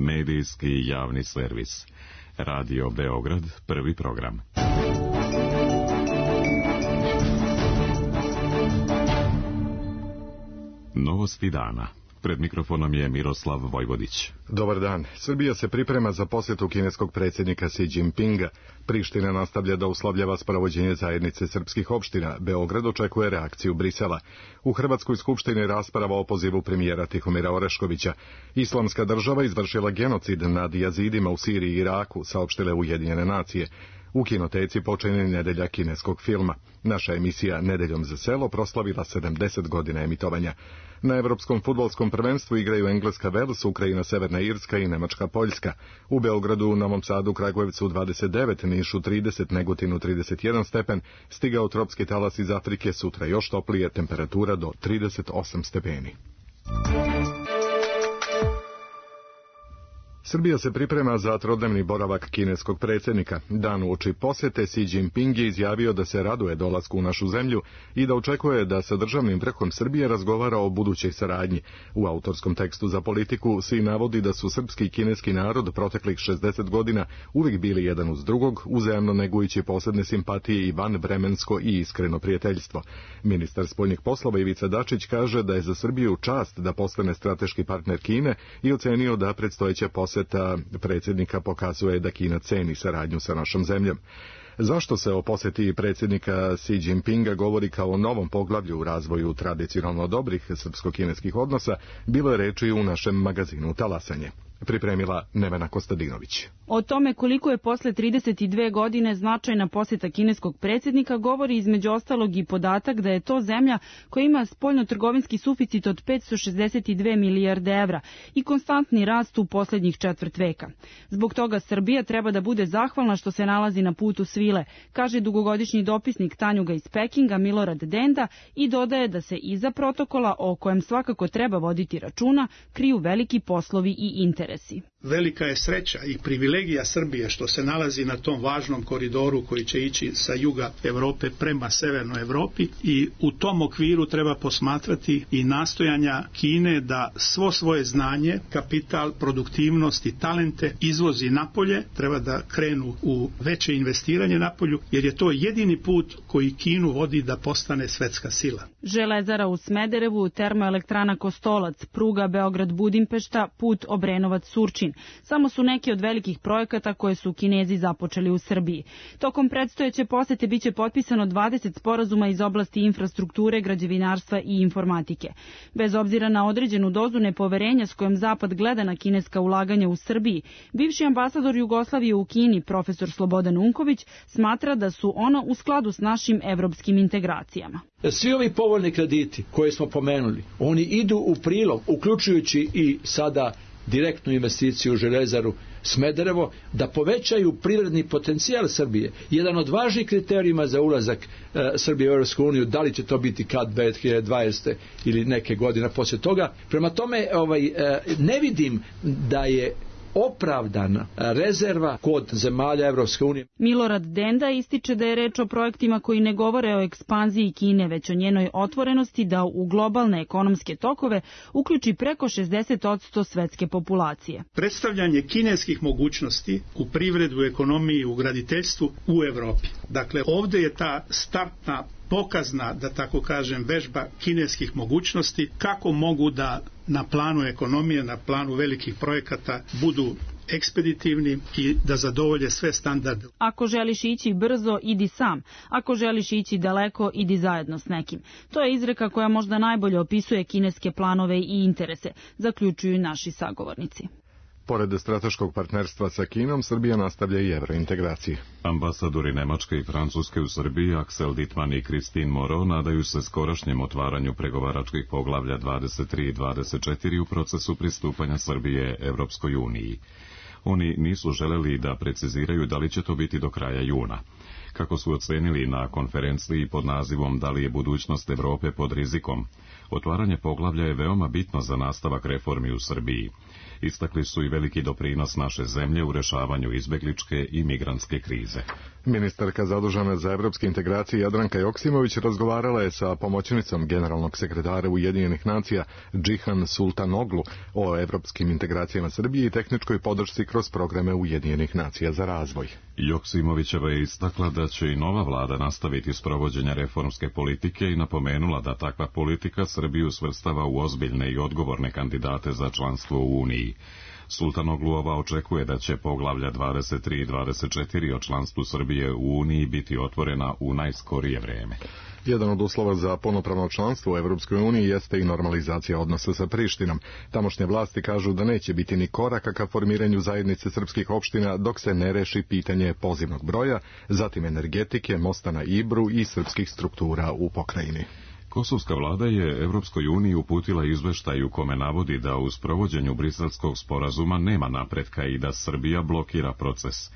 Medijski javni servis. Radio Beograd, prvi program. Novosti dana. Pred mikrofonom je Miroslav Vojvodić. Dobar dan. Srbija se priprema za posjetu kineskog predsjednika Xi Jinpinga. Priština nastavlja da uslovljava sprovođenje zajednice srpskih opština. Beograd očekuje reakciju Brisela. U Hrvatskoj skupštini rasprava o pozivu premijera Tihomira Oreškovića. Islamska država izvršila genocid nad jazidima u Siriji i Iraku, saopštile Ujedinjene nacije. U kinoteci počinje nedelja kineskog filma. Naša emisija Nedeljom za selo proslavila 70 godina emitovanja. Na Evropskom fudbalskom prvenstvu igraju Engleska Vels, Ukrajina Severna Irska i Nemačka Poljska. U Beogradu, Novom Sadu, Kragujevcu 29, Nišu 30, Negotinu 31 stepen, stigao tropski talas iz Afrike, sutra još toplije, temperatura do 38 stepeni. Srbija se priprema za trodnevni boravak kineskog predsjednika. Dan uoči posjete Xi Jinping je izjavio da se raduje dolasku u našu zemlju i da očekuje da sa državnim vrhom Srbije razgovara o budućoj saradnji. U autorskom tekstu za Politiku Xi navodi da su srpski i kineski narod proteklih 60 godina uvijek bili jedan uz drugog, uzajamno negujući posebne simpatije i vanvremensko i iskreno prijateljstvo. Ministar spoljnih poslova Ivica Dačić kaže da je za Srbiju čast da postane strateški partner Kine i ocenio da predstojeća posjeta predsjednika pokazuje da Kina ceni saradnju sa našom zemljom. Zašto se o posjeti predsjednika Xi Jinpinga govori kao o novom poglavlju u razvoju tradicionalno dobrih srpsko-kineskih odnosa, bilo je reči u našem magazinu Talasanje. Pripremila Nevena Kostadinović. O tome koliko je posle 32 godine značajna posjeta kineskog predsjednika govori između ostalog i podatak da je to zemlja koja ima spoljnotrgovinski suficit od 562 milijarde evra i konstantni rast u posljednjih četvrt veka. Zbog toga Srbija treba da bude zahvalna što se nalazi na putu svile, kaže dugogodišnji dopisnik Tanjuga iz Pekinga Milorad Denda i dodaje da se iza protokola, o kojem svakako treba voditi računa, kriju veliki poslovi i interesi. Velika je sreća i privilegija Srbije što se nalazi na tom važnom koridoru koji će ići sa juga Evrope prema severnoj Evropi i u tom okviru treba posmatrati i nastojanja Kine da svo svoje znanje, kapital, produktivnost i talente izvozi napolje, treba da krenu u veće investiranje napolju, jer je to jedini put koji Kinu vodi da postane svetska sila. Železara u Smederevu, termoelektrana Kostolac, pruga Beograd-Budimpešta, put Obrenovac-Surčin. Samo su neki od velikih projekata koje su Kinezi započeli u Srbiji. Tokom predstojeće posete biće potpisano 20 sporazuma iz oblasti infrastrukture, građevinarstva i informatike. Bez obzira na određenu dozu nepoverenja s kojom Zapad gleda na kineska ulaganja u Srbiji, bivši ambasador Jugoslavije u Kini, profesor Slobodan Unković, smatra da su ona u skladu s našim evropskim integracijama. Svi ovi povoljni krediti koje smo pomenuli, oni idu u prilog, uključujući i sada direktnu investiciju u železaru Smederevo, da povećaju privredni potencijal Srbije. Jedan od važnih kriterijuma za ulazak Srbije u Europsku uniju, da li će to biti kad 2020. ili neke godine poslije toga. Prema tome, ne vidim da je opravdana rezerva kod zemalja Evropske unije. Milorad Denda ističe da je reč o projektima koji ne govore o ekspanziji Kine, već o njenoj otvorenosti da u globalne ekonomske tokove uključi preko 60% svetske populacije. Predstavljanje kineskih mogućnosti u privredu, ekonomiji, u graditeljstvu u Evropi. Dakle, ovdje je ta startna pokazna, da tako kažem, vežba kineskih mogućnosti, kako mogu da na planu ekonomije, na planu velikih projekata budu ekspeditivni i da zadovolje sve standarde. Ako želiš ići brzo, idi sam. Ako želiš ići daleko, idi zajedno s nekim. To je izreka koja možda najbolje opisuje kineske planove i interese, zaključuju naši sagovornici. Pored strateškog partnerstva sa Kinom, Srbija nastavlja i evrointegracije. Ambasadori Nemačke i Francuske u Srbiji, Axel Dittmann i Christine Moreau, nadaju se skorašnjem otvaranju pregovaračkih poglavlja 23 i 24 u procesu pristupanja Srbije Evropskoj uniji. Oni nisu želeli da preciziraju da li će to biti do kraja juna. Kako su ocenili na konferenciji pod nazivom Da li je budućnost Evrope pod rizikom, otvaranje poglavlja je veoma bitno za nastavak reformi u Srbiji. Istakli su i veliki doprinos naše zemlje u rešavanju izbegličke i migrantske krize. Ministarka zadužena za evropske integracije Jadranka Joksimović razgovarala je sa pomoćnicom generalnog sekretara Ujedinjenih nacija Džihan Sultanoglu o evropskim integracijama Srbije i tehničkoj podršci kroz programe Ujedinjenih nacija za razvoj. Joksimovićeva je istakla da će i nova vlada nastaviti sprovođenje reformske politike i napomenula da takva politika Srbiju svrstava u ozbiljne i odgovorne kandidate za članstvo u Uniji. Sultanogluova očekuje da će poglavlja 23 i 24 o članstvu Srbije u Uniji biti otvorena u najskorije vreme. Jedan od uslova za punopravno članstvo u Evropskoj uniji jeste i normalizacija odnosa sa Prištinom. Tamošnje vlasti kažu da neće biti ni koraka ka formiranju zajednice srpskih opština dok se ne reši pitanje pozivnog broja, zatim energetike, mosta na Ibru i srpskih struktura u pokrajini. Kosovska vlada je Evropskoj uniji uputila izveštaj u kome navodi da u sprovođenju Briselskog sporazuma nema napretka i da Srbija blokira proces.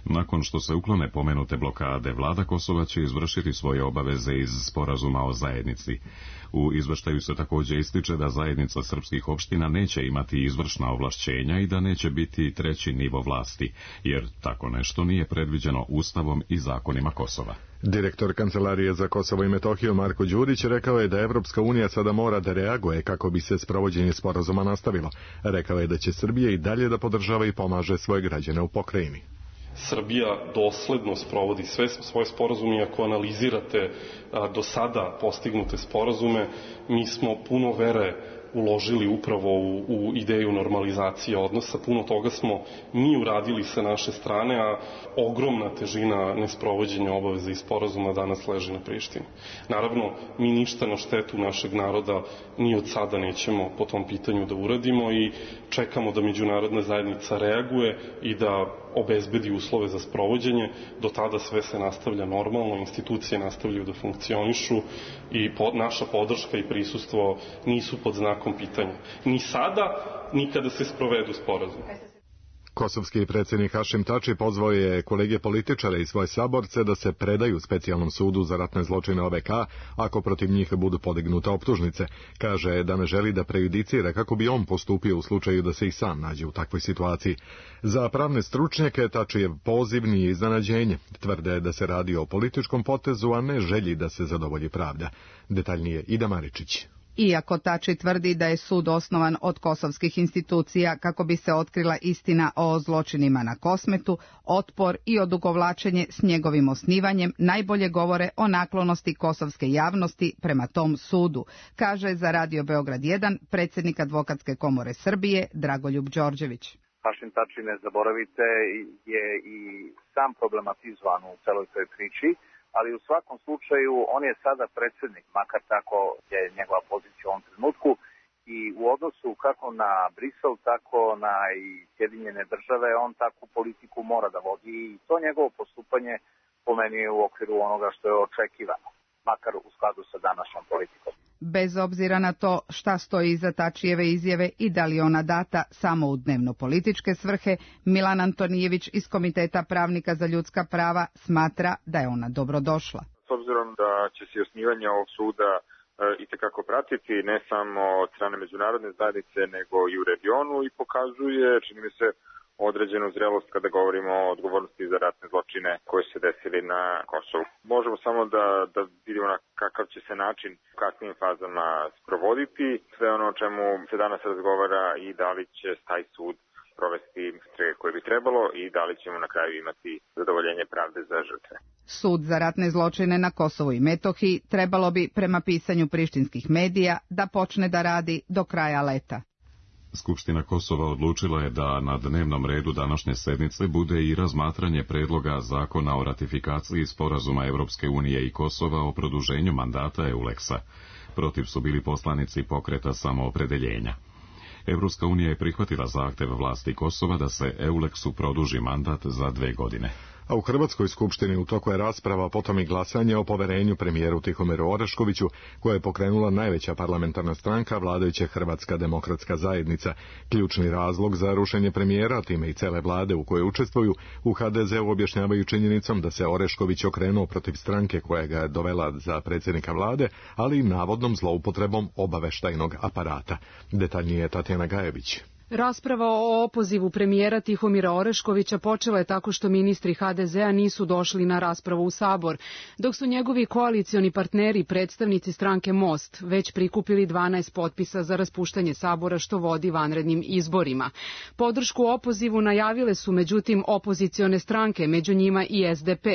Nakon što se uklone pomenute blokade, vlada Kosova će izvršiti svoje obaveze iz sporazuma o zajednici. U izveštaju se također ističe da zajednica srpskih opština neće imati izvršna ovlašćenja i da neće biti treći nivo vlasti, jer tako nešto nije predviđeno Ustavom i zakonima Kosova. Direktor Kancelarije za Kosovo i Metohiju Marko Đurić rekao je da Evropska unija sada mora da reaguje kako bi se sprovođenje sporazuma nastavilo. Rekao je da će Srbija i dalje da podržava i pomaže svoje građane u pokrajini. Srbija dosledno sprovodi sve svoje sporazume i ako analizirate do sada postignute sporazume, mi smo puno vere uložili upravo u ideju normalizacije odnosa. Puno toga smo mi uradili sa naše strane, a ogromna težina nesprovođenja obaveza i sporazuma danas leži na Prištini. Naravno, mi ništa na štetu našeg naroda ni od sada nećemo po tom pitanju da uradimo i čekamo da međunarodna zajednica reaguje i da obezbedi uslove za sprovođenje. Do tada sve se nastavlja normalno, institucije nastavljaju da funkcionišu i naša podrška i prisustvo nisu pod znakom pitanja. Ni sada, ni kada se sprovedu sporazum. Kosovski predsjednik Hašim Tači pozvao je kolege političare i svoje saborce da se predaju specijalnom sudu za ratne zločine OVK ako protiv njih budu podignute optužnice. Kaže da ne želi da prejudicira kako bi on postupio u slučaju da se i sam nađe u takvoj situaciji. Za pravne stručnjake Tačijev poziv nije iznenađenje. Tvrde da se radi o političkom potezu, a ne želji da se zadovolji pravda. Detaljnije Ida Maričić. Iako Tači tvrdi da je sud osnovan od kosovskih institucija kako bi se otkrila istina o zločinima na Kosmetu, otpor i odugovlačenje s njegovim osnivanjem najbolje govore o naklonosti kosovske javnosti prema tom sudu, kaže za Radio Beograd 1 predsjednik Advokatske komore Srbije Dragoljub Đorđević. Hašim Tači, ne zaboravite, je i sam problematizovan u celoj toj priči, ali u svakom slučaju on je sada predsjednik, makar tako je njegova pozicija u ovom trenutku, i u odnosu kako na Brisel, tako na i Sjedinjene države, on takvu politiku mora da vodi i to njegovo postupanje po meni je u okviru onoga što je očekivano, makar u skladu sa današnjom politikom. Bez obzira na to šta stoji iza Tačijeve izjave i da li ona data samo u dnevno-političke svrhe, Milan Antonijević iz Komiteta pravnika za ljudska prava smatra da je ona dobrodošla. S obzirom da će se osnivanje ovog suda itekako pratiti ne samo od strane međunarodne zajednice nego i u regionu i pokazuje, čini mi se, određenu zrelost kada govorimo o odgovornosti za ratne zločine koje se desili na Kosovu. Možemo samo da vidimo na kakav će se način u kasnijim fazama sprovoditi, sve ono o čemu se danas razgovara i da li će taj sud provesti istrage koje bi trebalo i da li ćemo na kraju imati zadovoljenje pravde za žrtve. Sud za ratne zločine na Kosovu i Metohiji trebalo bi, prema pisanju prištinskih medija, da počne da radi do kraja leta. Skupština Kosova odlučila je da na dnevnom redu današnje sednice bude i razmatranje predloga zakona o ratifikaciji sporazuma Evropske unije i Kosova o produženju mandata EULEX-a. Protiv su bili poslanici pokreta samoopredeljenja. Evropska unija je prihvatila zahtev vlasti Kosova da se EULEX-u produži mandat za 2 godine. A u Hrvatskoj skupštini u toku je rasprava, potom i glasanje o poverenju premijeru Tihomiru Oreškoviću, koja je pokrenula najveća parlamentarna stranka vladajuće Hrvatska demokratska zajednica. Ključni razlog za rušenje premijera, time i cele vlade u kojoj učestvuju, u HDZ-u objašnjavaju činjenicom da se Orešković okrenuo protiv stranke koja ga je dovela za predsjednika vlade, ali i navodnom zloupotrebom obaveštajnog aparata. Detaljnije Tatjana Gajević. Rasprava o opozivu premijera Tihomira Oreškovića počela je tako što ministri HDZ-a nisu došli na raspravu u Sabor, dok su njegovi koalicioni partneri, predstavnici stranke Most, već prikupili 12 potpisa za raspuštanje Sabora što vodi vanrednim izborima. Podršku opozivu najavile su međutim opozicione stranke, među njima i SDP,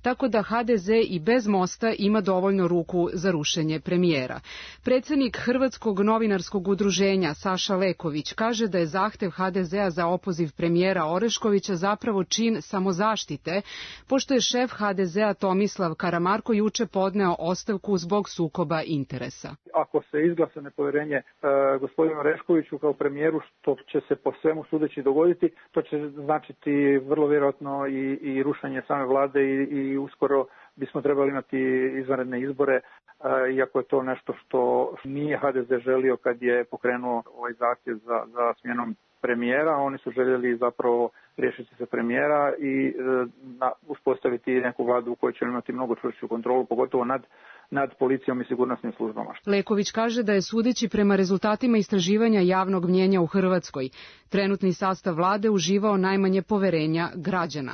tako da HDZ i bez Mosta ima dovoljno ruku za rušenje premijera. Predsjednik Hrvatskog novinarskog udruženja Saša Leković kaže da je zahtev HDZ-a za opoziv premijera Oreškovića zapravo čin samozaštite, pošto je šef HDZ-a Tomislav Karamarko juče podneo ostavku zbog sukoba interesa. Ako se izglasa nepovjerenje gospodinu Oreškoviću kao premijeru, što će se po svemu sudeći dogoditi, to će značiti vrlo vjerojatno i rušenje same vlade i uskoro bismo trebali imati izvanredne izbore, iako je to nešto što nije HDZ želio kad je pokrenuo ovaj zahtjev za smjenom premijera. Oni su željeli zapravo riješiti se premijera i uspostaviti neku vladu u kojoj će imati mnogo čvršću kontrolu, pogotovo nad policijom i sigurnosnim službama. Leković kaže da je sudeći prema rezultatima istraživanja javnog mnjenja u Hrvatskoj, trenutni sastav vlade uživao najmanje poverenja građana.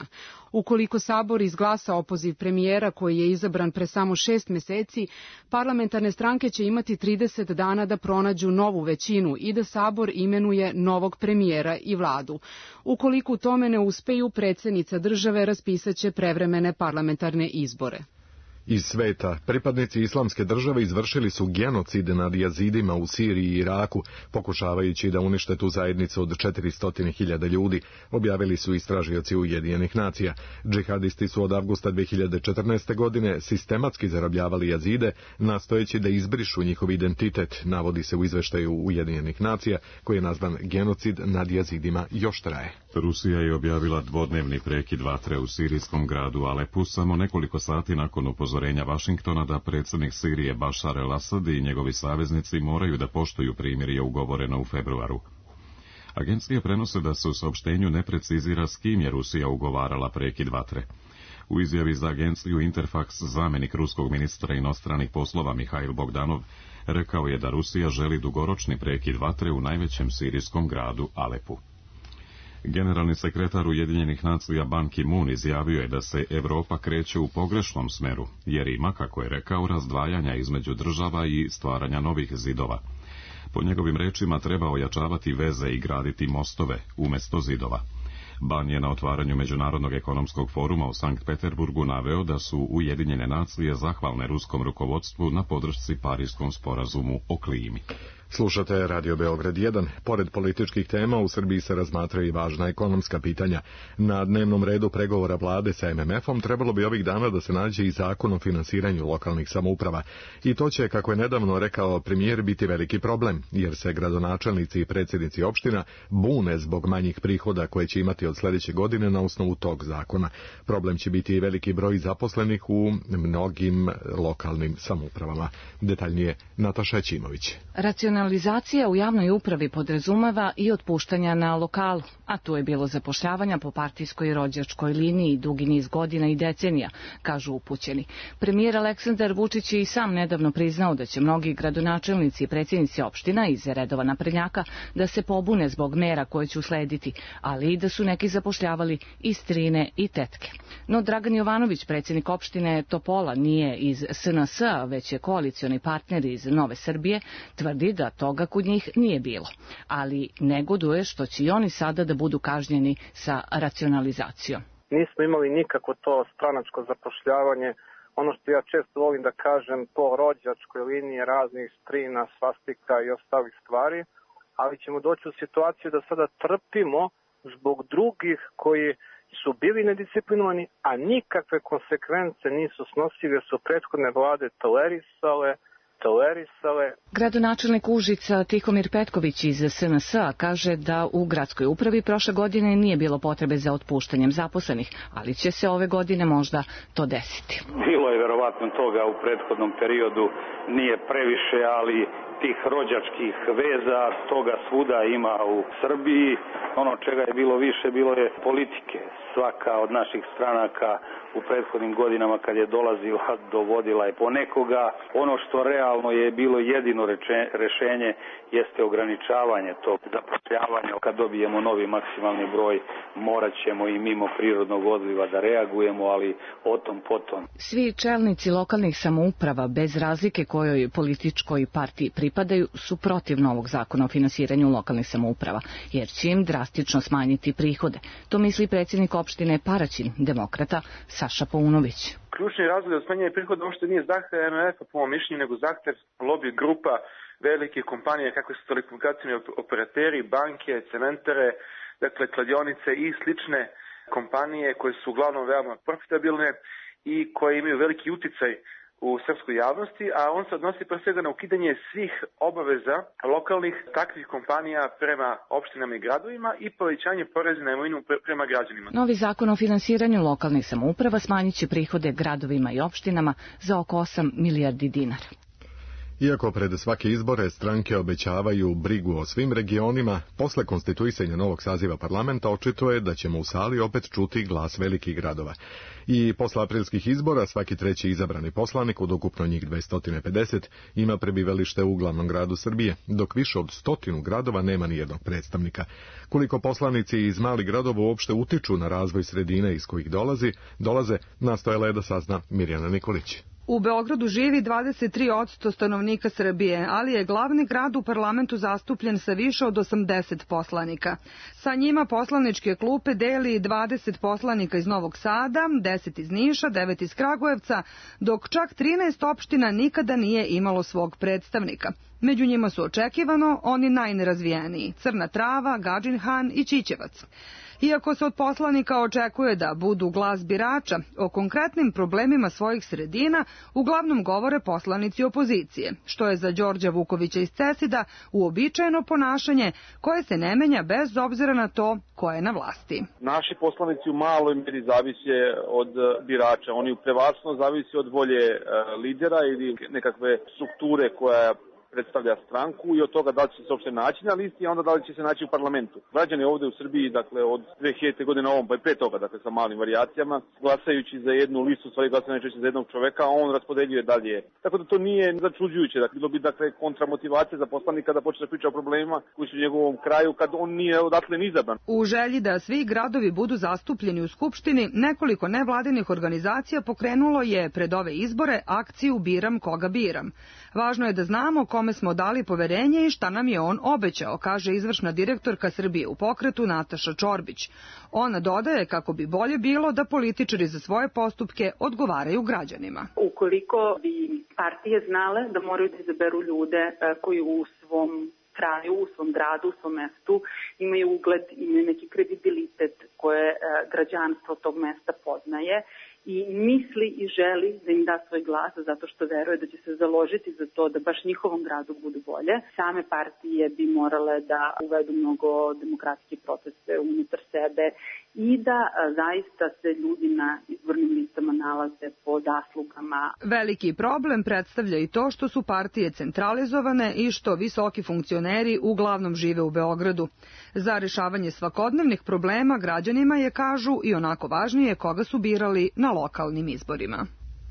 Ukoliko Sabor izglasa opoziv premijera koji je izabran pre samo 6 meseci, parlamentarne stranke će imati 30 dana da pronađu novu većinu i da Sabor imenuje novog premijera i vladu. Ukoliko u tome ne uspeju, predsjednica države raspisaće prevremene parlamentarne izbore. Iz sveta, pripadnici islamske države izvršili su genocid nad jazidima u Siriji i Iraku, pokušavajući da unište tu zajednicu od 400.000 ljudi, objavili su istražioci Ujedinjenih nacija. Džihadisti su od avgusta 2014. godine sistematski zarobljavali jazide, nastojeći da izbrišu njihov identitet, navodi se u izveštaju Ujedinjenih nacija, koji je nazvan genocid nad jazidima još traje. Rusija je objavila dvodnevni prekid vatre u sirijskom gradu Alepu samo nekoliko sati nakon upozorenja Vašingtona da predsjednik Sirije Bašar el-Asad i njegovi saveznici moraju da poštuju primirje ugovoreno u februaru. Agencije prenose da se u saopštenju ne precizira s kim je Rusija ugovarala prekid vatre. U izjavi za agenciju Interfax zamjenik ruskog ministra inostranih poslova Mihail Bogdanov rekao je da Rusija želi dugoročni prekid vatre u najvećem sirijskom gradu Alepu. Generalni sekretar Ujedinjenih nacija Ban Ki-moon izjavio je da se Europa kreće u pogrešnom smeru, jer ima, kako je rekao, razdvajanja između država i stvaranja novih zidova. Po njegovim rečima treba ojačavati veze i graditi mostove umjesto zidova. Ban je na otvaranju Međunarodnog ekonomskog foruma u Sankt Peterburgu naveo da su Ujedinjene nacije zahvalne ruskom rukovodstvu na podršci Parijskom sporazumu o klimi. Slušate Radio Beograd 1. Pored političkih tema u Srbiji se razmatraju i važna ekonomska pitanja. Na dnevnom redu pregovora vlade sa MMF-om trebalo bi ovih dana da se nađe i zakon o finansiranju lokalnih samouprava. I to će, kako je nedavno rekao premijer, biti veliki problem, jer se gradonačelnici i predsjednici opština bune zbog manjih prihoda koje će imati od sljedeće godine na osnovu tog zakona. Problem će biti i veliki broj zaposlenih u mnogim lokalnim samoupravama. Detaljnije Nataša Ćimović. Racionalizacija u javnoj upravi podrazumeva i otpuštanja na lokalu, a tu je bilo zapošljavanja po partijskoj i rođačkoj liniji dugi niz godina i decenija, kažu upućeni. Premijer Aleksandar Vučić je i sam nedavno priznao da će mnogi gradonačelnici i predsjednici opština iz redova naprednjaka da se pobune zbog mera koje će uslediti, ali i da su neki zapošljavali i strine i tetke. No Dragan Jovanović, predsjednik opštine Topola, nije iz SNS-a, već je koalicioni partner iz Nove Srbije, tvrdi da toga kod njih nije bilo, ali negoduje što će i oni sada da budu kažnjeni sa racionalizacijom. Nismo imali nikako to stranačko zapošljavanje, ono što ja često volim da kažem, po rođačkoj liniji raznih strina, svastika i ostalih stvari, ali ćemo doći u situaciju da sada trpimo zbog drugih koji su bili nedisciplinovani, a nikakve konsekvence nisu snosili, jer su prethodne vlade tolerisale. Gradonačelnik Užica Tihomir Petković iz SNS-a kaže da u gradskoj upravi prošle godine nije bilo potrebe za otpuštanjem zaposlenih, ali će se ove godine možda to desiti. Bilo je verovatno toga u prethodnom periodu, nije previše, ali tih rođačkih veza, toga svuda ima u Srbiji. Ono čega je bilo više, bilo je politike. Svaka od naših stranaka u prethodnim godinama kad je dolazila, dovodila je po nekoga. Ono što realno je bilo jedino rešenje jeste ograničavanje tog zapošljavanja. Kad dobijemo novi maksimalni broj, morat ćemo i mimo prirodnog odliva da reagujemo, ali o tom potom. Svi čelnici lokalnih samouprava, bez razlike kojoj političkoj partiji pripadaju, su protiv novog zakona o finansiranju lokalnih samouprava, jer će im drastično smanjiti prihode. To misli predsjednik opštine Paraćin, demokrata Saša Paunović. Ključni razlog za smanjenje prihoda uopšte nije zahtev MMF-a po mom mišljenju, nego zahtev lobby grupa velike kompanije kakve su telekomunikacijni operateri, banke, cementare, dakle kladionice i slične kompanije koje su uglavnom veoma profitabilne i koje imaju veliki uticaj u srpskoj javnosti, a on se odnosi pre svega na ukidanje svih obaveza lokalnih takvih kompanija prema opštinama i gradovima i povećanje poreza na imovinu prema građanima. Novi zakon o finansiranju lokalnih samouprava smanjit će prihode gradovima i opštinama za oko 8 milijardi dinara. Iako pred svake izbore stranke obećavaju brigu o svim regionima, posle konstituisanja novog saziva parlamenta očito je da ćemo u sali opet čuti glas velikih gradova. I posle aprilskih izbora svaki treći izabrani poslanik, od ukupno njih 250, ima prebivalište u glavnom gradu Srbije, dok više od 100 gradova nema nijednog predstavnika. Koliko poslanici iz malih gradova uopšte utiču na razvoj sredine iz kojih dolaze, nastojala je da sazna Mirjana Nikolić. U Beogradu živi 23% stanovnika Srbije, ali je glavni grad u parlamentu zastupljen sa više od 80 poslanika. Sa njima poslaničke klupe deli 20 poslanika iz Novog Sada, 10 iz Niša, 9 iz Kragujevca, dok čak 13 opština nikada nije imalo svog predstavnika. Među njima su očekivano oni najnerazvijeniji: Crna Trava, Gadžin Han i Ćićevac. Iako se od poslanika očekuje da budu glas birača, o konkretnim problemima svojih sredina uglavnom govore poslanici opozicije, što je za Đorđa Vukovića iz Cesida uobičajeno ponašanje koje se ne menja bez obzira na to ko je na vlasti. Naši poslanici u maloj meri zavise od birača, oni prevasno zavise od volje lidera ili nekakve strukture koja predstavlja stranku i od toga da li će se uopšte naći na listi, a onda da li će se naći u parlamentu. Građani ovde u Srbiji, dakle od 2000. godine ovom, pa i pre toga, dakle sa malim varijacijama, glasajući za jednu listu, stvari glasaju najčešće za jednog čoveka, a on raspodeljuje dalje. Tako da to nije začuđujuće, dakle bilo bi kontramotivacija za poslanika da počne da priča o problemima koji su u njegovom kraju kad on nije odatle ni izabran. U želji da svi gradovi budu zastupljeni u Skupštini, nekoliko nevladinih organizacija pokrenulo je pred ove izbore akciju Biram koga biram. Važno je da znamo kome smo dali poverenje i šta nam je on obećao, kaže izvršna direktorka Srbije u pokretu Nataša Čorbić. Ona dodaje kako bi bolje bilo da političari za svoje postupke odgovaraju građanima. Ukoliko bi partije znale da moraju da izaberu ljude koji u svom kraju, u svom gradu, u svom mestu imaju ugled, imaju neki kredibilitet koje građanstvo tog mesta poznaje i misli i želi da im da svoj glas zato što veruje da će se založiti za to da baš njihovom gradu budu bolje. Same partije bi morale da uvedu mnogo demokratske procese unutar sebe i da zaista se ljudi na izbornim listama nalaze po zaslugama. Veliki problem predstavlja i to što su partije centralizovane i što visoki funkcioneri uglavnom žive u Beogradu. Za rešavanje svakodnevnih problema građanima je, kažu, i onako važnije koga su birali na lokalnim izborima.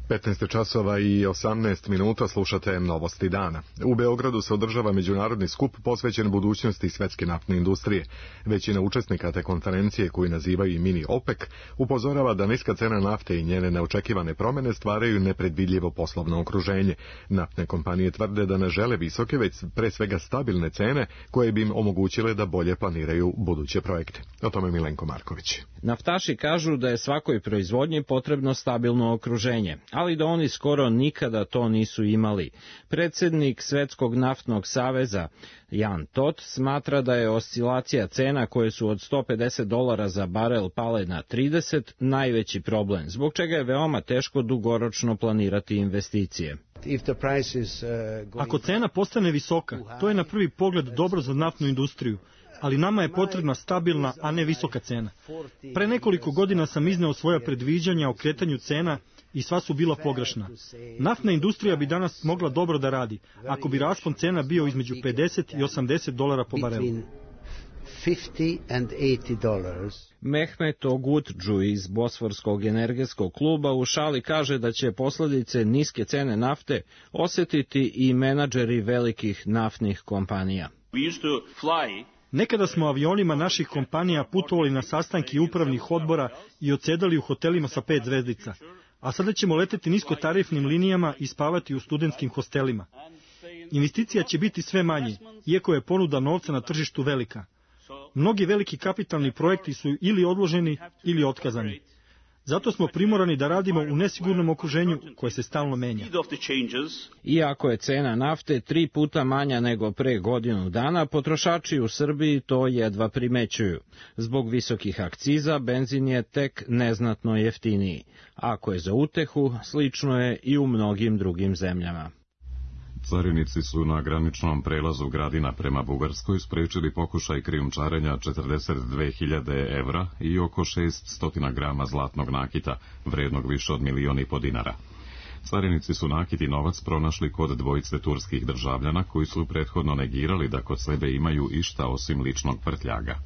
15 časova i 18 minuta, slušate Novosti dana. U Beogradu se održava međunarodni skup posvećen budućnosti svetske naftne industrije. Većina učesnika te konferencije, koju nazivaju i mini OPEC, upozorava da niska cena nafte i njene neočekivane promene stvaraju nepredvidljivo poslovno okruženje. Naftne kompanije tvrde da ne žele visoke, već pre svega stabilne cene koje bi im omogućile da bolje planiraju buduće projekte. O tome Milenko Marković. Naftaši kažu da je svakoj proizvodnji potrebno stabilno okruženje, ali da oni skoro nikada to nisu imali. Predsjednik Svetskog naftnog saveza Jan Tot smatra da je oscilacija cena koje su od $150 za barel pale na 30 najveći problem, zbog čega je veoma teško dugoročno planirati investicije. Ako cena postane visoka, to je na prvi pogled dobro za naftnu industriju, ali nama je potrebna stabilna, a ne visoka cena. Pre nekoliko godina sam izneo svoja predviđanja o kretanju cena i sva su bila pogrešna. Naftna industrija bi danas mogla dobro da radi, ako bi raspon cena bio između $50 i $80 po barelu. Mehmet Ogutđu iz Bosforskog energetskog kluba u šali kaže da će posledice niske cene nafte osjetiti i menadžeri velikih naftnih kompanija. Nekada smo avionima naših kompanija putovali na sastanke upravnih odbora i odsedali u hotelima sa 5 zvezdica, a sada ćemo leteti niskotarifnim linijama i spavati u studentskim hostelima. Investicija će biti sve manje, iako je ponuda novca na tržištu velika. Mnogi veliki kapitalni projekti su ili odloženi ili otkazani. Zato smo primorani da radimo u nesigurnom okruženju koje se stalno menja. Iako je cena nafte 3 puta manja nego pre godinu dana, potrošači u Srbiji to jedva primećuju. Zbog visokih akciza, benzin je tek neznatno jeftiniji. Ako je za utehu, slično je i u mnogim drugim zemljama. Carinici su na graničnom prelazu Gradina prema Bugarskoj sprečili pokušaj krijumčarenja 42.000 evra i oko 600 grama zlatnog nakita, vrednog više od 1,5 miliona dinara. Carinici su nakit i novac pronašli kod dvojice turskih državljana koji su prethodno negirali da kod sebe imaju išta osim ličnog prtljaga.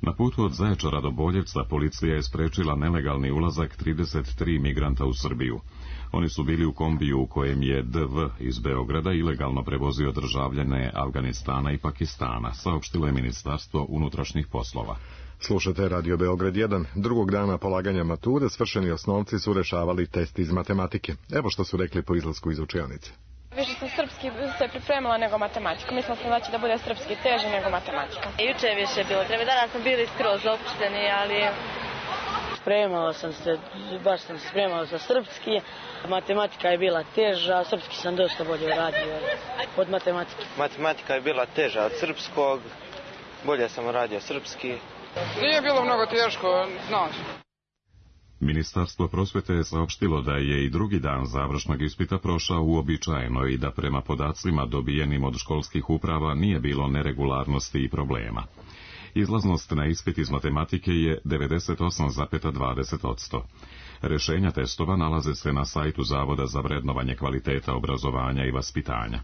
Na putu od Zaječara do Boljevca policija je sprečila nelegalni ulazak 33 migranta u Srbiju. Oni su bili u kombiju u kojem je DV iz Beograda ilegalno prevozio državljane Afganistana i Pakistana, saopštilo je Ministarstvo unutrašnjih poslova. Slušate Radio Beograd 1. Drugog dana polaganja mature svršeni osnovci su rešavali test iz matematike. Evo što su rekli po izlasku iz učionice. Više sam srpski se pripremila nego matematiku. Mislila sam da bude srpski teži nego matematika. Juče je više bilo treba. Danas smo bili skroz opušteni, ali baš sam se spremala za srpski. Matematika je bila teža, srpski sam dosta bolje radio od matematike. Matematika je bila teža od srpskog, bolje sam radio srpski. Nije bilo mnogo teško, znaš. Ministarstvo prosvete je saopštilo da je i drugi dan završnog ispita prošao uobičajeno i da prema podacima dobijenim od školskih uprava nije bilo neregularnosti i problema. Izlaznost na ispit iz matematike je 98,20%. Rešenja testova nalaze se na sajtu Zavoda za vrednovanje kvaliteta obrazovanja i vaspitanja.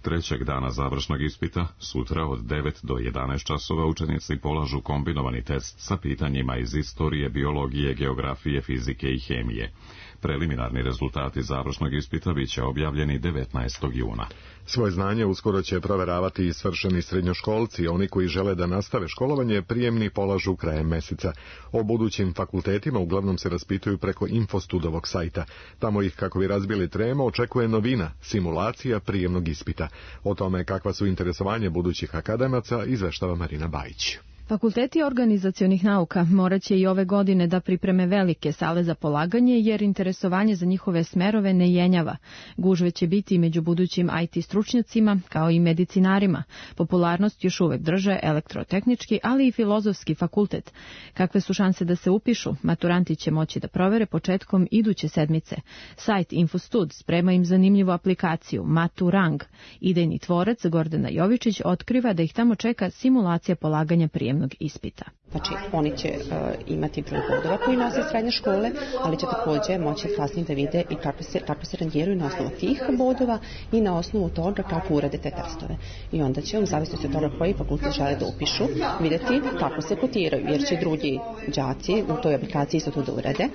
Trećeg dana završnog ispita, sutra od 9 do 11 časova učenici polažu kombinovani test sa pitanjima iz istorije, biologije, geografije, fizike i hemije. Preliminarni rezultati završnog ispita biće objavljeni 19. juna. Svoje znanje uskoro će proveravati i svršeni srednjoškolci. Oni koji žele da nastave školovanje prijemni polažu krajem meseca. O budućim fakultetima uglavnom se raspituju preko Infostudovog sajta. Tamo ih, kako bi razbili tremu, očekuje novina, simulacija prijemnog ispita. O tome kakva su interesovanje budućih akademaca izveštava Marina Bajić. Fakulteti organizacionih nauka morat će i ove godine da pripreme velike sale za polaganje, jer interesovanje za njihove smerove ne jenjava. Gužve će biti i među budućim IT stručnjacima, kao i medicinarima. Popularnost još uvek drže elektrotehnički, ali i filozofski fakultet. Kakve su šanse da se upišu? Maturanti će moći da provere početkom iduće sedmice. Sajt Infostud sprema im zanimljivu aplikaciju Maturang. Idejni tvorac Gordana Jovičić otkriva da ih tamo čeka simulacija polaganja prijemnog ispita. Znači, oni će imati broj bodova koji nose srednje škole, ali će također moći kasnije da vide i kako se rangiraju na osnovu tih bodova i na osnovu toga kako urade te testove. I onda će, u zavisnosti od toga koji fakultet žele da upišu, vidjeti kako se kotiraju, jer će drugi đaci u toj aplikaciji isto to da urade.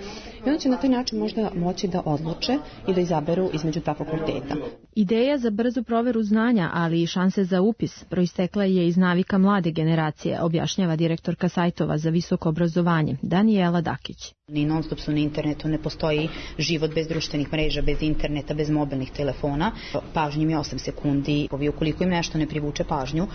I onda će na taj način možda moći da odluče i da izaberu između dva fakulteta. Ideja za brzu proveru znanja, ali i šanse za upis, proistekla je iz navika mlade generacije, objašnjava direktorka sajtova za visoko obrazovanje Danijela Dakić. Ni non-stop su na internetu, ne postoji život bez društvenih mreža, bez interneta, bez mobilnih telefona. Pažnja im je 8 sekundi. Ukoliko im nešto ne privuče pažnju,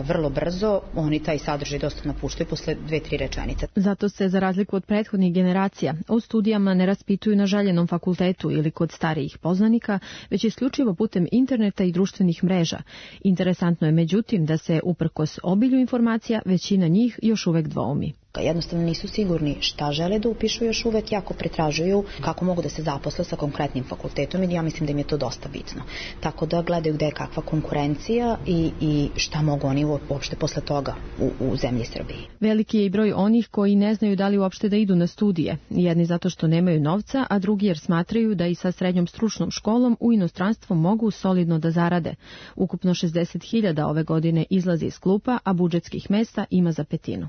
vrlo brzo oni taj sadržaj dosta napuštaju posle 2-3 rečenice. Zato se, za razliku od prethodnih generacija, u studijama ne raspituju na željenom fakultetu ili kod starijih poznanika, već isključivo putem interneta i društvenih mreža. Interesantno je međutim da se, uprkos obilju informacija, većina njih još uvek dvoumi. Jednostavno nisu sigurni šta žele da upišu, još uvek jako pretražuju kako mogu da se zaposle sa konkretnim fakultetom i ja mislim da im je to dosta bitno. Tako da gledaju gde je kakva konkurencija i šta mogu oni uopšte posle toga u zemlji Srbiji. Veliki je i broj onih koji ne znaju da li uopšte da idu na studije. Jedni zato što nemaju novca, a drugi jer smatraju da i sa srednjom stručnom školom u inostranstvu mogu solidno da zarade. Ukupno 60.000 ove godine izlazi iz klupa, a budžetskih mesta ima za petinu.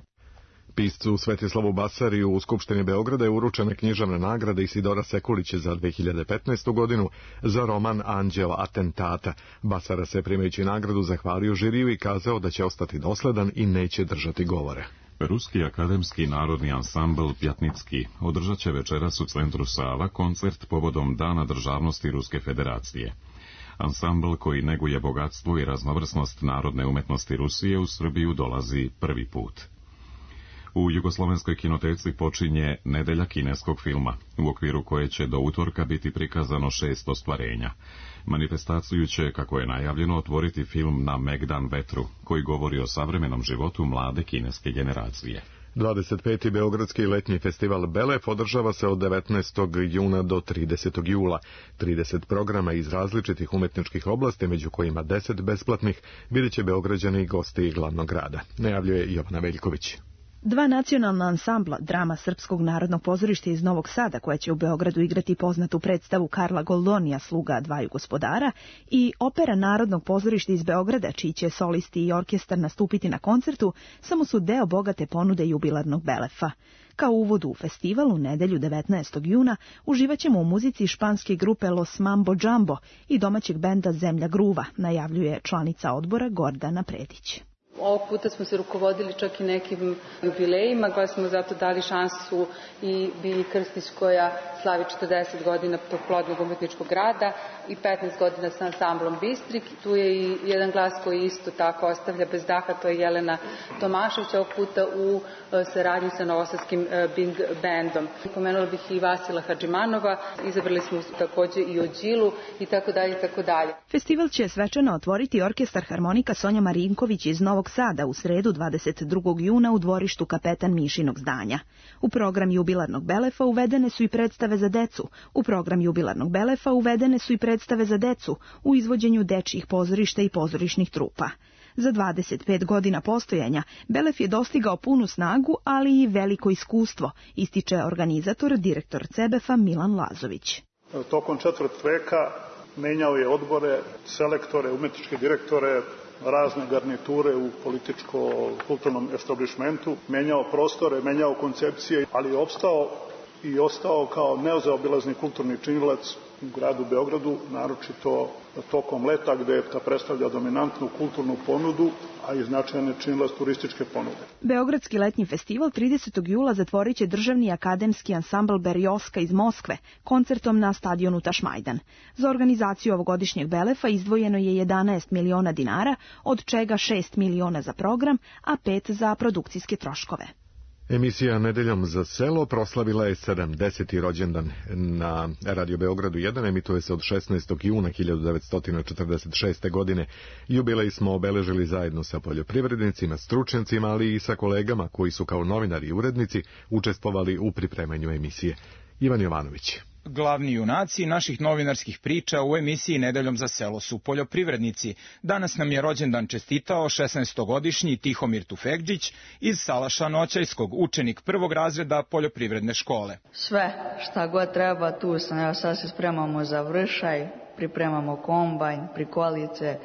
Piscu Svetislavu Basariju u Skupštini Beograda je uručena književna nagrada Isidora Sekulića za 2015. godinu za roman Anđeo atentata. Basara se primajući nagradu zahvalio žiriju i kazao da će ostati dosledan i neće držati govore. Ruski akademski narodni ansambl Pjatnicki održat će večeras u centru Sava koncert povodom Dana državnosti Ruske federacije. Ansambl koji neguje bogatstvo i raznovrsnost narodne umetnosti Rusije u Srbiju dolazi prvi put. U Jugoslovenskoj kinoteci počinje Nedelja kineskog filma, u okviru koje će do utorka biti prikazano 6 ostvarenja. Manifestaciju će, kako je najavljeno, otvoriti film Na Megdan vetru, koji govori o savremenom životu mlade kineske generacije. 25. Beogradski letnji festival Belef održava se od 19. juna do 30. jula. 30 programa iz različitih umetničkih oblasti, među kojima 10 besplatnih, vidjet će Beograđani i gosti glavnog grada. Najavljuje Jovana Veljković. Dva nacionalna ansambla, drama Srpskog narodnog pozorišta iz Novog Sada, koja će u Beogradu igrati poznatu predstavu Karla Goldonija, Sluga dvaju gospodara, i opera Narodnog pozorišta iz Beograda, čiji će solisti i orkestar nastupiti na koncertu, samo su deo bogate ponude jubilarnog Belefa. Kao uvod u festival u nedelju 19. juna uživaćemo u muzici španske grupe Los Mambo Jumbo i domaćeg benda Zemlja Gruva, najavljuje članica odbora Gordana Predić. Ovog puta smo se rukovodili čak i nekim jubilejima, koja smo zato dali šansu i Bilji Krstić koja slavi 40 godina plodnog umetničkog rada i 15 godina sa ansamblom Bistrik. Tu je i jedan glas koji isto tako ostavlja bez daha, to je Jelena Tomašević, ovog puta u saradnji sa Novosadskim Big Bandom. Pomenula bih i Vasila Hadžimanova, izabrali smo takođe i Ođilu i tako dalje i tako dalje. Festival će svečano otvoriti orkestar harmonika Sonja Marinković iz Novog Sada u sredu 22. juna u dvorištu Kapetan Mišinog zdanja. U program jubilarnog Belefa uvedene su i predstave za decu. U izvođenju dečjih pozorišta i pozorišnih trupa. Za 25 godina postojanja Belef je dostigao punu snagu, ali i veliko iskustvo, ističe organizator, direktor CEBEF-a Milan Lazović. Tokom četvrt veka menjao je odbore, selektore, umetničke direktore, razne garniture u političko-kulturnom establishmentu, menjao prostore, menjao koncepcije, ali je opstao i ostao kao nezaobilazni kulturni činilac u gradu Beogradu, naročito tokom leta gde predstavlja dominantnu kulturnu ponudu, a i značajne činilac turističke ponude. Beogradski letnji festival 30. jula zatvorit će državni akademski ansambl Berioska iz Moskve koncertom na stadionu Tašmajdan. Za organizaciju ovogodišnjeg Belefa izdvojeno je 11 miliona dinara, od čega 6 miliona za program, a 5 za produkcijske troškove. Emisija Nedeljom za selo proslavila je 70. rođendan. Na Radio Beogradu 1 emituje se od 16. juna 1946. godine. Jubilej smo obeležili zajedno sa poljoprivrednicima, stručnjacima, ali i sa kolegama koji su kao novinari i urednici učestvovali u pripremanju emisije. Ivan Jovanović. Glavni junaci naših novinarskih priča u emisiji Nedeljom za selo su poljoprivrednici. Danas nam je rođendan čestitao 16-godišnji Tihomir Tufekđić iz Salaša Noćajskog, učenik prvog razreda poljoprivredne škole. Sve šta god treba, tu sam. Evo sad se spremamo za vršaj, pripremamo kombajn, prikolice.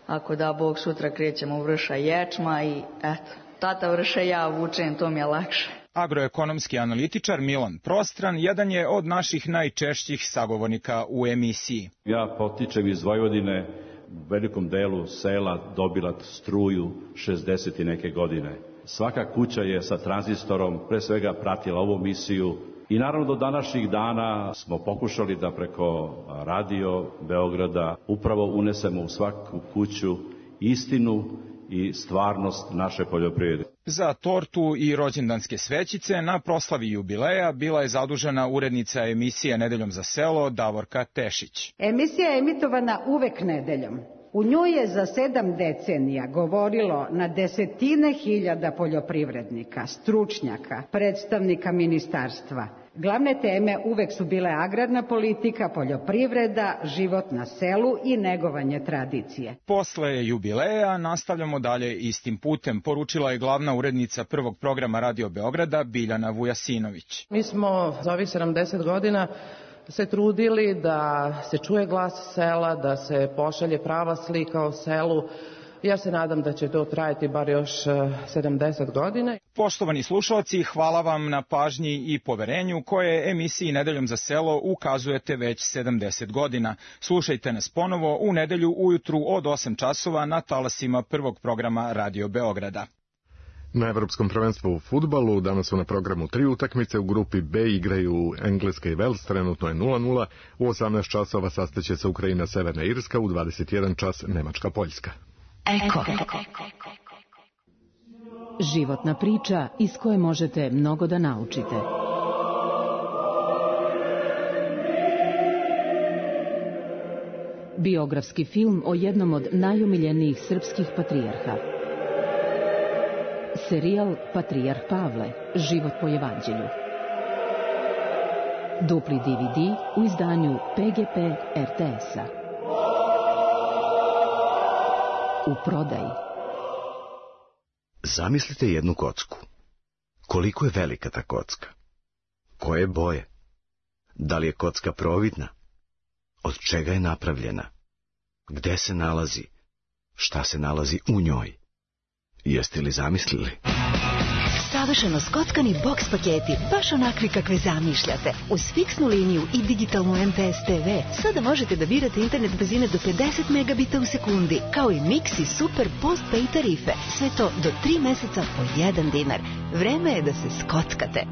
Ako da Bog, sutra krećemo u vršaj ječma i eto, tata vrše, ja vučem, to mi je lakše. Agroekonomski analitičar Milan Prostran jedan je od naših najčešćih sagovornika u emisiji. Ja potičem iz Vojvodine, u velikom delu sela dobila struju 60 i neke godine. Svaka kuća je sa tranzistorom pre svega pratila ovu misiju i naravno do današnjih dana smo pokušali da preko Radio Beograda upravo unesemo u svaku kuću istinu i stvarnost naše poljoprivrede. Za tortu i rođendanske svećice na proslavi jubileja bila je zadužena urednica emisije Nedeljom za selo Davorka Tešić. Emisija je emitovana uvek nedeljom. U njoj je za 7 decenija govorilo na desetine hiljada poljoprivrednika, stručnjaka, predstavnika ministarstva. Glavne teme uvek su bile agrarna politika, poljoprivreda, život na selu i negovanje tradicije. Posle jubileja nastavljamo dalje istim putem, poručila je glavna urednica prvog programa Radio Beograda Biljana Vujasinović. Mi smo za ovih 70 godina se trudili da se čuje glas sela, da se pošalje prava slika o selu. Ja se nadam da će to trajati bar još 70 godina. Poštovani slušalci, hvala vam na pažnji i poverenju koje emisiji Nedeljom za selo ukazujete već 70 godina. Slušajte nas ponovo u nedelju ujutru od 8 časova na talasima prvog programa Radio Beograda. Na Evropskom prvenstvu u fudbalu danas su na programu 3 utakmice. U grupi B igraju Engleska i Vels, trenutno je 0:0. U 18 časova sastaće se Ukrajina Severna Irska, u 21 čas Nemačka Poljska. Eko. Životna priča iz koje možete mnogo da naučite. Biografski film o jednom od najomiljenijih srpskih patrijarha. Serijal Patrijarh Pavle, život po evanđelju. Dupli DVD u izdanju PGP RTS-a. U prodaji. Zamislite jednu kocku. Koliko je velika ta kocka? Koje je boje? Da li je kocka providna? Od čega je napravljena? Gde se nalazi? Šta se nalazi u njoj? Jeste li zamislili? Savršeno skockani boks paketi, baš onakvi kakve zamišljate. Uz fiksnu liniju i digitalnu MPS TV sada možete da birate internet brzine do 50 megabita u sekundi, kao i mix i super postpay tarife. Sve to do 3 meseca po 1 dinar. Vreme je da se skockate.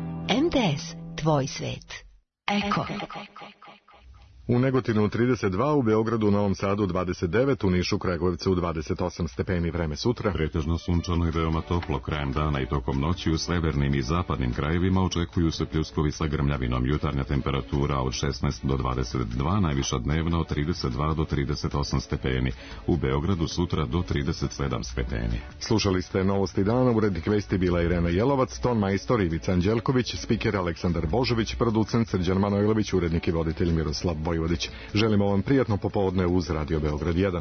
MTS, tvoj svet. Eko. U Negotinu 32, u Beogradu, Novom Sadu 29, u Nišu, Kragujevcu 28 stepeni. Vreme sutra. Pretežno sunčano i veoma toplo krajem dana i tokom noći. U severnim i zapadnim krajevima očekuju se pljuskovi sa grmljavinom. Jutarnja temperatura od 16 do 22, najviša dnevna od 32 do 38 stepeni. U Beogradu sutra do 37 stepeni. Slušali ste Novosti dana, urednik vesti bila Irena Jelovac, ton majstor Ivica Anđelković, spiker Aleksandar Božović, producent Srđan Manojlović, urednik i voditelj Miroslav Vojvodić. Želimo vam prijatno popodne uz Radio Beograd 1.